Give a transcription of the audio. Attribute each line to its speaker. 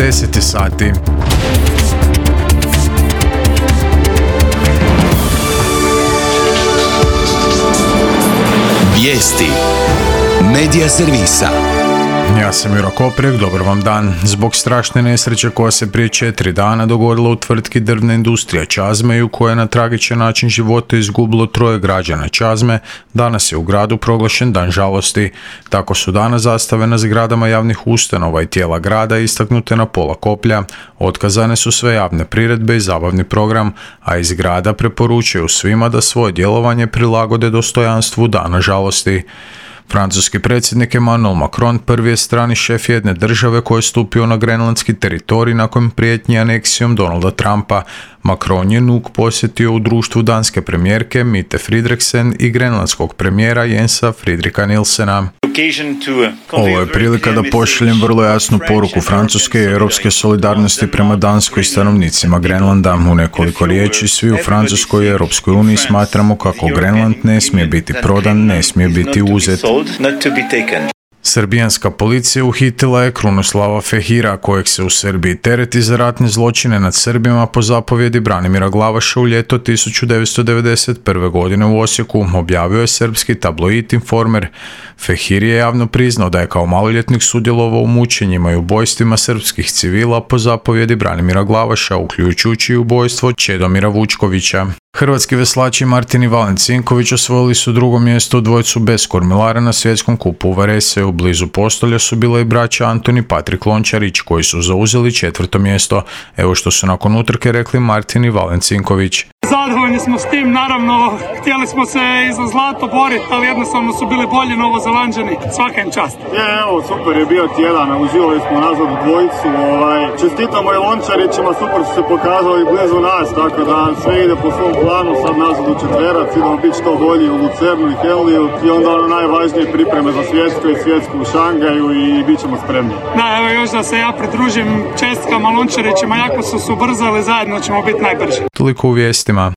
Speaker 1: 10 sati.
Speaker 2: Vijesti Medija servisa.
Speaker 1: Ja sam Juro Koprek, dobar vam dan. Zbog strašne nesreće koja se prije 4 dana dogodila u tvrtki Drvna industrija Čazme, u kojoj je na tragičan način života izgubilo 3 građana Čazme, danas je u gradu proglašen dan žalosti. Tako su danas zastave na zgradama javnih ustanova i tijela grada istaknute na pola koplja. Otkazane su sve javne priredbe i zabavni program, a iz grada preporučuju svima da svoje djelovanje prilagode dostojanstvu dana žalosti. Francuski predsjednik Emmanuel Macron prvi je strani šef jedne države koji je stupio na grenlandski teritorij nakon prijetnji aneksijom Donalda Trumpa. Macron je Nuuk posjetio u društvu danske premijerke Mette Frederiksen i grenlandskog premijera Jensa Fridrika Nilsena. Ovo je prilika da pošaljem vrlo jasnu poruku francuske i europske solidarnosti prema Danskoj i stanovnicima Grenlanda. U nekoliko riječi svi u Francuskoj i Europskoj uniji smatramo kako Grenland ne smije biti prodan, ne smije biti uzet. Srbijanska policija uhitila je Krunoslava Fehira, kojeg se u Srbiji tereti za ratne zločine nad Srbima po zapovjedi Branimira Glavaša u ljeto 1991. godine u Osijeku, objavio je srpski tabloid Informer. Fehir je javno priznao da je kao maloljetnik sudjelovao u mučenjima i ubojstvima srpskih civila po zapovjedi Branimira Glavaša, uključujući i ubojstvo Čedomira Vučkovića. Hrvatski veslači Martin i Valen Cinković osvojili su 2. mjesto u dvojcu bez kormilara na svjetskom kupu u Vareseju. Blizu postolja su bila i braća Antoni i Patrik Lončarić, koji su zauzeli 4. mjesto. Evo što su nakon utrke rekli Martin i Valen Cinković.
Speaker 3: Zadovoljni smo s tim, naravno, htjeli smo se i za zlato boriti, ali jednostavno su bili bolji Novozelanđani. Svaka im čast.
Speaker 4: Evo, super je bio tjedan, uživali smo nazad u dvojicu. Čestitamo i Lončarićima, super su se pokazali blizu nas, tako da sve ide po svom planu, sad nazad u četverac, idemo biti što bolji u Lucernu i Heliju i onda najvažnije pripreme za svjetsku u Šangaju i bit ćemo spremni.
Speaker 3: Da, evo još da se ja pridružim čestkama Lončarićima, jako su se ubrzali, zajedno ćemo biti najbrži.
Speaker 1: Toliko u vijestima.